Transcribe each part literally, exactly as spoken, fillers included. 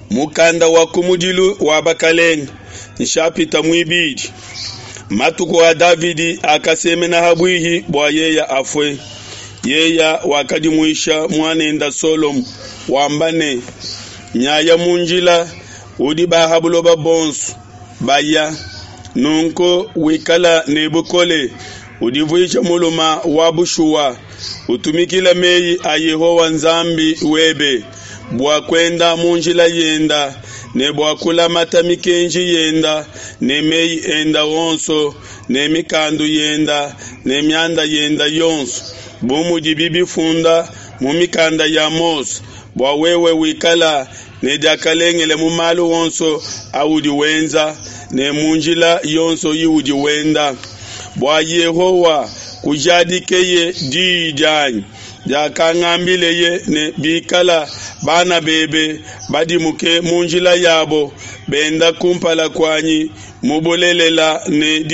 Mukanda wa kumudilu wa bakelenge, nshapita muibidi. Matuku a Davidi akasemena ha buihi bua yeya afue. Yeya wakadimuisha muanenda Solomo wamba ne, Nyaya mu njila udi ba ha buloba bonso baya, nunku wikala ne bukole, udivuije mulume wa bushuwa, utumikile meyi a Yehowa Nzambi webe, bua kuenda mu njila yenda ne bua kulamata mikenji yenda ne meyi enda onso ne mikandu yenda ne mianda yenda yonso, bu mudibi bifunda mu mikanda ya Mose, bua wewe wikala ne diakalengele mu malu onso audi wenza ne mu njila yonso iudi wenda, bua Yehowa kujadikeye diyi dianyi diakangambileye ne, Bikala bana bebe badimuke mu njila yabo, benda kumpala kuanyi mu bulelela ne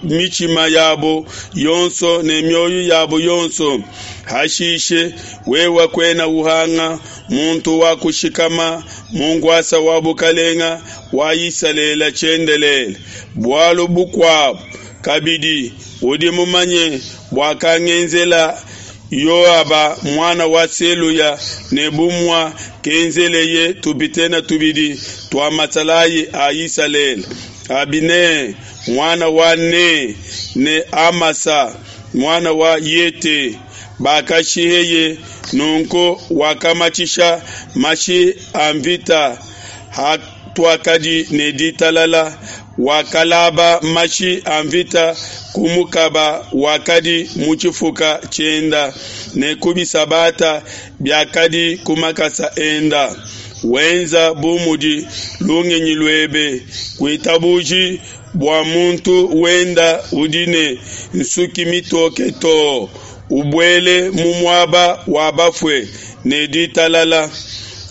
mitshima yabo yonso ne mioyo yabo yonso, hashishe wewe kuena uhanga muntu wa kushikama mu nkuasa wa bukelenge wa Isalele tshiendelele. Bualu bukuabo kabidi, udi mumanye buakangenzela Yoaba, muana wa Seluya, ne bu muakenzeleye tupitene tubidi tua masalayi a Isalele, Abine, muana wa Ne, ne Amasa, muana wa Yete, bakashiheye. Nunku wakamatshisha mashi a nvita hatuakadi ne ditalala, wakalaba mashi a nvita ku mukaba wakadi mu tshifuka tshienda ne ku bisabata biakadi ku makasa enda. Wenza bu mudi lungenyi luebe, kuitabuji bua muntu wenda udi ne nsuki mitoke too ubuele mu muaba wa bafue ne ditalala.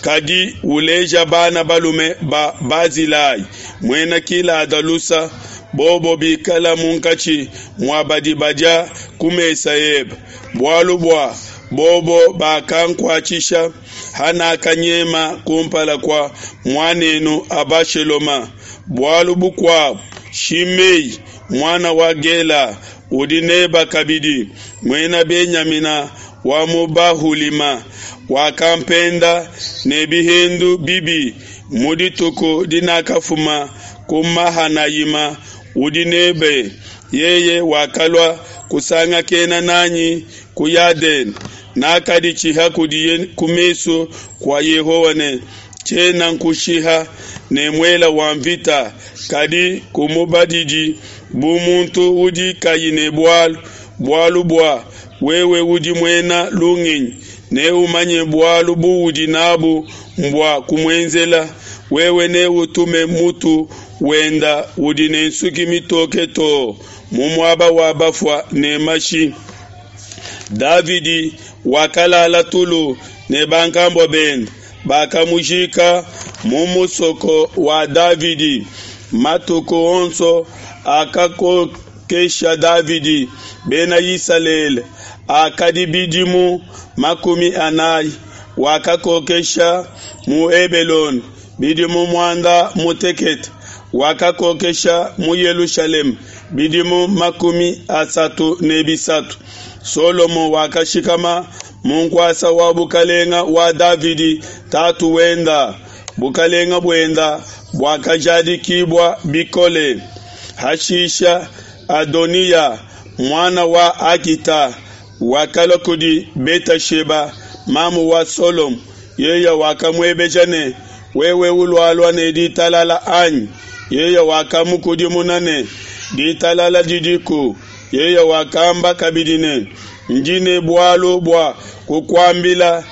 Kadi uleja bana balume ba Bazilai, muena Gilada lusa, bobo bikala munkatshi mua badi badia ku mesa ebe, bualu bua bobo bakankuatshisha hanakanyema ku mpala kua muan'enu Abashaloma. Bualu bukuabo, Shimei, muana wa Gela, udi n'ebe kabidi, Muena Benyamina wa mu Bahulima, wakampenda ne bihendu bibi mu dituku dinakafuma ku Mahanayima, udi n'ebe. Yeye wakalua kusangakena n'anyi ku Yadene, nakaditshiha kudiye ku mesu kua Yehowa ne, Tshiena nkushiha ne muele wa nvita, kadi kumubadidi bu muntu udi kayi ne bualu, bualu bua wewe udi muena lungenyi, neumanye bualu buudi n'abu mbua kumuenzela. Wewe neutume mutu wenda udi ne nsuki mitoke too mu muaba wa bafua ne mashi. Davidi wakalala tulu ne bankambua bende, bakamujika mu musoko wa Davidi. Matuku onso akakokesha Davidi Bena Isalele akadi bidimu makumi anai. Wakakokesha mu Hebelone bidimu muanda mutekete, wakakokesha mu Yelushalema bidimu makumi asatu ne bisatu. Solomo wakashikama mu nkuasa wa bukelenge wa Davidi tatu wenda, bukelenge buenda buakajadikibua bikole. Hashisha Adoniya, muana wa Hagita, wakalua kudi Betasheba, mamu wa Solomo. Yeye wakamuebeja ne, Wewe ulualua ne ditalala, anyi? Yeye wakamukudimuna ne, Ditalala didiku. Yeye wakamba kabidi ne, Ndi ne bualu bua kukuambila.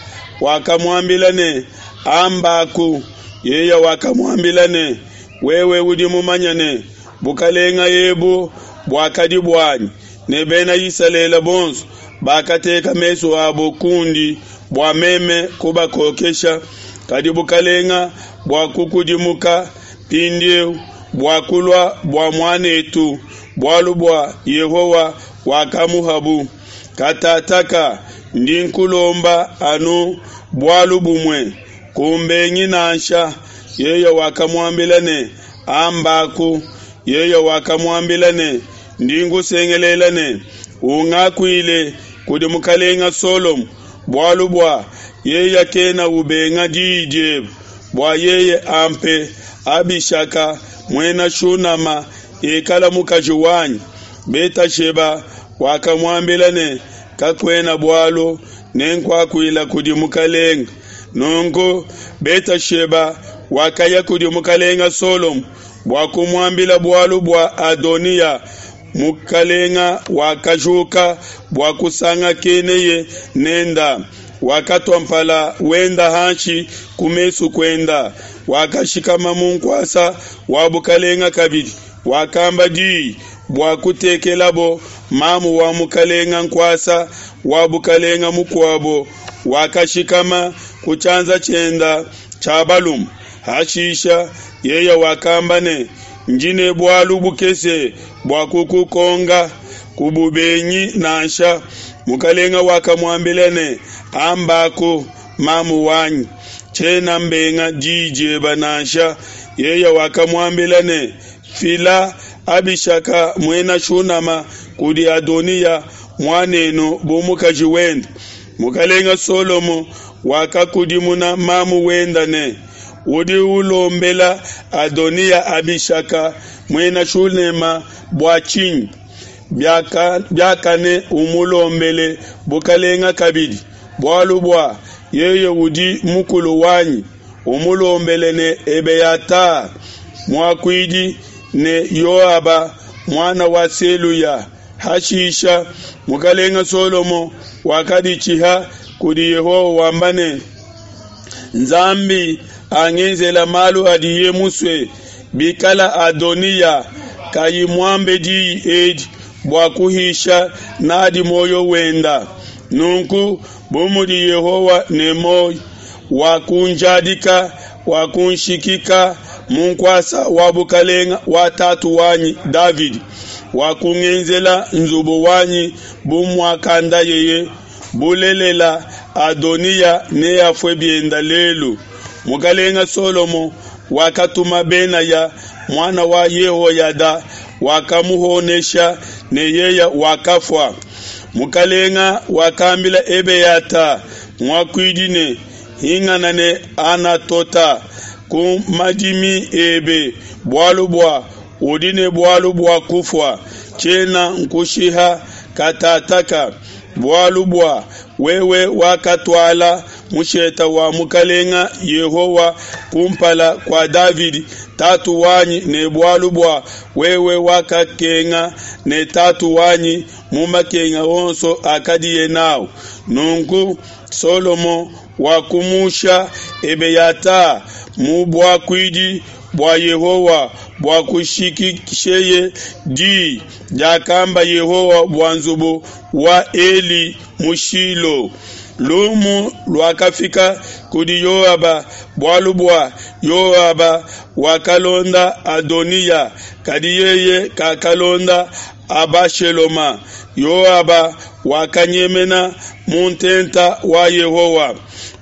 Wakamuambila ne, Ambaku. Yeye wakamuambila ne, Wewe udi mumanye ne, bukelenge ebu buakadi buanyi, ne Bena Isalele bonso bakateka mesu abo kundi bua meme kubakokesha, kadi bukelenge buakukudimuka mpindiu buakulua bua muan'etu, bualu bua Yehowa wakamuhabu. Katataka ndi nkulomba anu bualu bumue, Kumbengi nansha. Yeye wakamuambila ne, Ambaku. Yeye wakamuambila ne, Ndi nkusengelela ne, Ungakuile kudi mukalenga Solomo, bualu bua yeye kena ubenga diyi diebe, bua yeye ampe Abishaka, muena Shunama, ikala mukaji wanyi. Betasheba wakamuambila ne, Kakuena bualu, nenkuakuile kudi mukalenga. Nunku Betasheba wakaya kudi mukalenga Solomo bua kumuambila bualu bua Adoniya. Mukalenga wakajuka bua kusangakeneye nenda, wakatua mpala wenda hanshi ku mesu kuenda, wakashikama mu nkuasa wa bukalenga kabidi, wakamba diyi bua kutekelabo mamu wa mukalenga nkuasa wa bukalenga mukuabo, wakashikama ku tshianza tshienda tshia balume. Hashisha yeye wakamba ne, Ndi ne bualu bukese bua kukukonga, kububengi nansha. Mukalenga wakamuambila ne, Ambaku, mamu wanyi, tshiena mbenga diyi diebe nansha. Yeye wakamuambila ne, Fila Abishaka, muena Shunama, kudi Adoniya muanenu bu mukaji wende. Mukalenga Solomo wakakudimuna mamu wenda ne, Udi ulombela Adoniya Abishaka, muena Shunema, bua tshinyi? Biakane umulombele bukalenga kabidi, bualu bua yeye udi mukulu wanyi, umulombele ne Ebeyata muakuidi ne Yoaba, muana wa Seluya. Hashisha mukalenga Solomo wakaditshiha kudi Yehowa wamba ne, Nzambi angenzela malu adiye musue, bikala Adoniya kayi muambe diyi edi bua kuhisha n'adi muoyo wenda. Nunku bu mudi Yehowa ne muoyo, wakunjadika wakunshikika mu nkuasa wa bukalenga wa tatu wanyi Davidi, wakungenzela nzubu wanyi bu muakandayeye, bulelela, Adoniya neafue bienda lelu. Mukalenga Solomo wakatuma Benaya, muana wa Yehoyada, wakamuhonesha ne yeye wakafua. Mukalenga wakambila Ebeyata muakuidi ne, Hingana ne Anatota ku madimi ebe, bualu bua udi ne bualu bua kufua, tshiena nkushiha katataka, bualu bua wewe wakatuala mushete wa Mukalenga Yehowa kumpala kua Davidi tatu wanyi, ne bualu bua wewe wakakenga ne tatu wanyi mu makenga onso akadiye n'au. Nunku Solomo wakumusha Ebeyata mu buakuidi bua Yehowa bua kushikisheye di diakamba Yehowa bua nzubu wa Eli mu Shilo. Lumu luakafika kudi Yoaba bualu bua Yoaba wakalonda Adoniya, kadi yeye kakalonda Abasheloma. Yoaba wakanyemena mu ntenta wa Yehowa,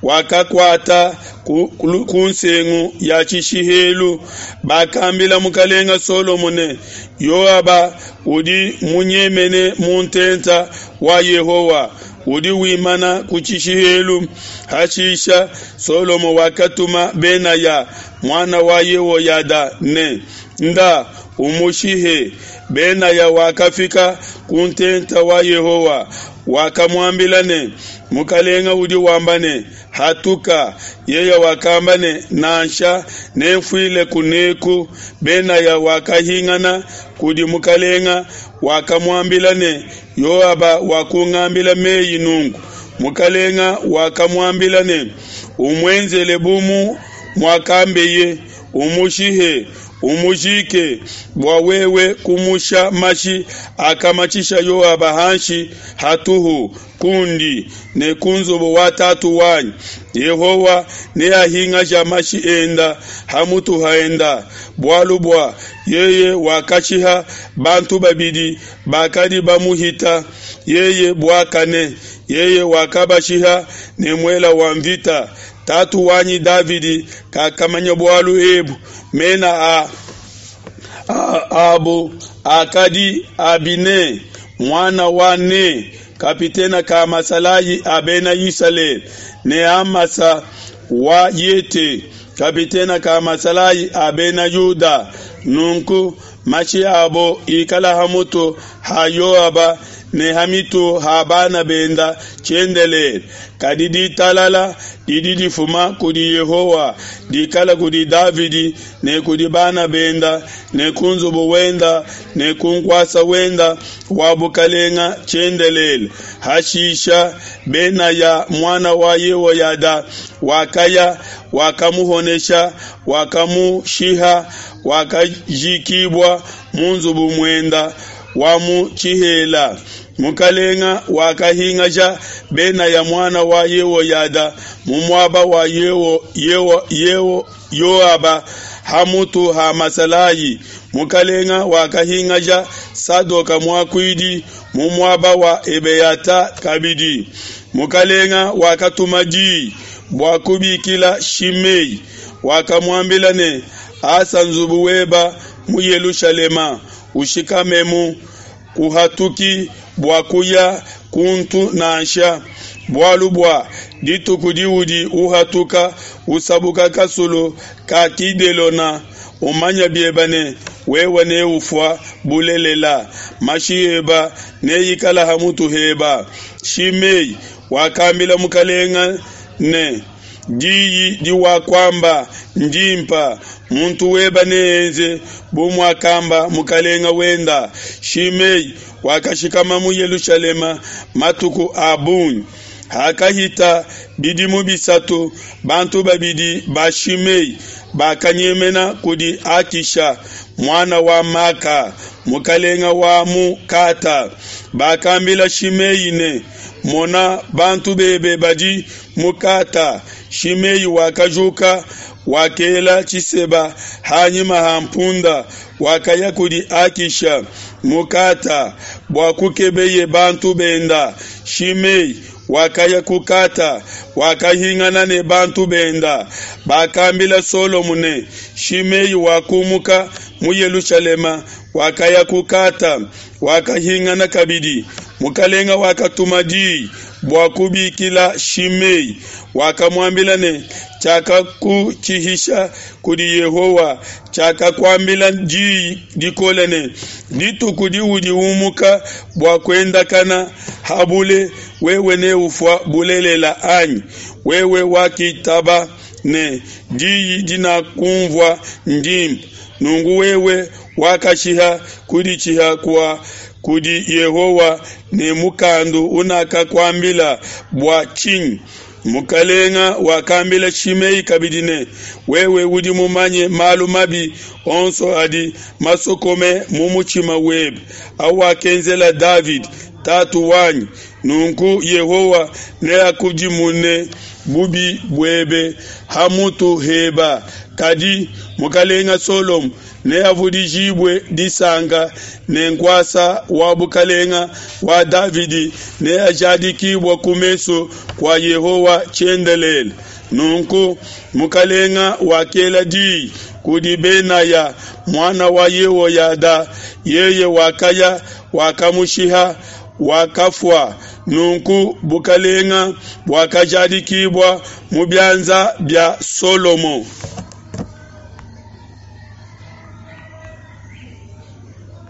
wakakuata ku, ku nsengu ya tshishihelu. Bakambila mukalenga Solomo ne, Yoaba udi munyemene mu ntenta wa Yehowa, udi wimana ku tshishihelu. Hashisha Solomo wakatuma Benaya, muana wa Yehoyada, ne, Nda umushihe. Benaya wakafika ku ntenta wa Yehowa, wakamuambila ne, Mukalenga udi wamba ne, Hatuka. Yeye wakamba ne, Nansha, nenfuile kuneku. Benaya wakahingana kudi mukalenga, wakamuambila ne, Yoaba wakungambila mei nunku. Mukalenga wakamuambila ne, Umuenzele bu mu muakambeye, umushihe, umujike, bua wewe kumusha mashi akamatshisha Yoaba hanshi hatuhu kundi ne ku nzubu wa tatu wanyi. Yehowa neahingaja mashi enda ha mutu haenda, bualu bua yeye wakashiha bantu babidi bakadi bamuhita yeye buakane, yeye wakabashiha ne muela wa mvita. Tatu wanyi Davidi kakamanya bualu ebu. Mena a, a, abo akadi Abine muana wa Ne, kapitene ka masalayi a Bena Isalele, ne Amasa wa Yete, kapitene ka masalayi a Bena Yuda. Nunku mashi abo ikala ha mutu ha Yoaba ne ha mitu ha bana benda tshiendelele. Kadi ditalala didi difuma kudi Yehowa dikala kudi Davidi ne kudi bana benda ne ku nzubu wenda ne ku nkuasa wenda wa bukalenga tshiendelele. Hashisha Benaya muana wa Yehoyada wakaya, wakamuhonesha, wakamushiha, wakajikibua mu nzubu muenda wa mu tshihela. Mukalenga wakahingaja Benaya muana wa Yehoyada mu muaba wa Yeho, Yeho, Yeho, Yoaba ha mutu ha masalayi. Mukalenga wakahingaja Sadoka muakuidi mu muaba wa Ebeyata kabidi. Mukalenga wakatuma di bua kubikila Shimei, wakamuambila ne, Asa nzubu weba mu Yelushalema, ushikamemu, kuhatuki bua kuya kuntu nansha, bualu bua dituku diudi uhatuka usabuka kasulu ka Kidelona, umanya biebe ne wewe neufua bulelela, mashi eba neikala ha mutu heba. Shimei wakambila mukalenga ne, Diyi diwakuamba ndimpa, muntu weba neenze bu muakamba mukalenga wenda. Shimei wakashikama mu Yelushalema matuku a bungi. Hakahita bidimu bisatu, bantu babidi ba Shimei bakanyemena kudi Akisha, muana wa Maka, mukalenga wa mu Kata. Bakambila Shimei ne, Mona, bantu bebe badi mu Kata. Shimei wakajuka, wakela tshiseba ha nyima ha mpunda, wakaya kudi Akisha mu Kata bua kukebeye bantu benda. Shimei wakaya ku Kata, wakahingana ne bantu benda. Bakambila Solomo ne, Shimei wakumuka mu Yelushalema, wakaya ku Kata, wakahingana kabidi. Mukalenga wakatuma di bua kubikila Shimei, wakamuambila ne, Tshiakakutshihisha kudi Yehowa, tshiakakuambila di dikole ne, Dituku diudi umuka bua kuendakana ha bule, wewe neufua bulelela, anyi? Wewe wakitaba ne, Diyi dinakunvua ndimpe. Nunku wewe wakashiha kuditshiha kua kudi Yehowa ne mukandu unakakuambila bua tshinyi? Mukalenga wakambila Shimei kabidi ne, Wewe udi mumanye malu mabi onso adi masokome mu mutshima webe, awakenzela Davidi tatu wanyi, nunku Yehowa neakudimune bubi buebe ha mutu heba. Kadi mukalenga Solomo neavudijibue disanka, ne nkuasa wa bukalenga wa Davidi neajadikibue ku mesu kua Yehowa tshiendelele. Nunku mukalenga wakela diyi kudi Benaya muana wa Yehoyada, yeye wakaya, wakamushiha, wakafua. Nunku bukalenga buakajadikibua mu bianza bia Solomo.